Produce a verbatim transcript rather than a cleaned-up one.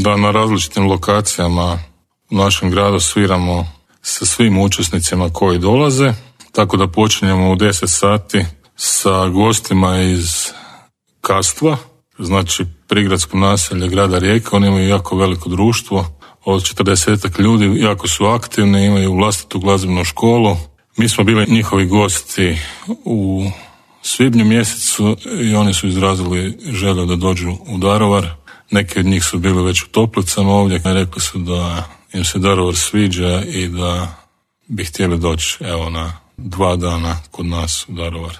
Da, na različitim lokacijama u našem gradu sviramo sa svim učesnicima koji dolaze, tako da počinjemo u deset sati sa gostima iz Kastva, znači prigradsko naselje grada Rijeke. Oni imaju jako veliko društvo od četrdesetak ljudi, jako su aktivni, imaju vlastitu glazbenu školu. Mi smo bili njihovi gosti u svibnju mjesecu i oni su izrazili želju da dođu u Daruvar. Neki od njih su bili već u Toplicama ovdje i rekli su da im se Daruvar sviđa i da bi htjeli doći evo na dva dana kod nas u Daruvar.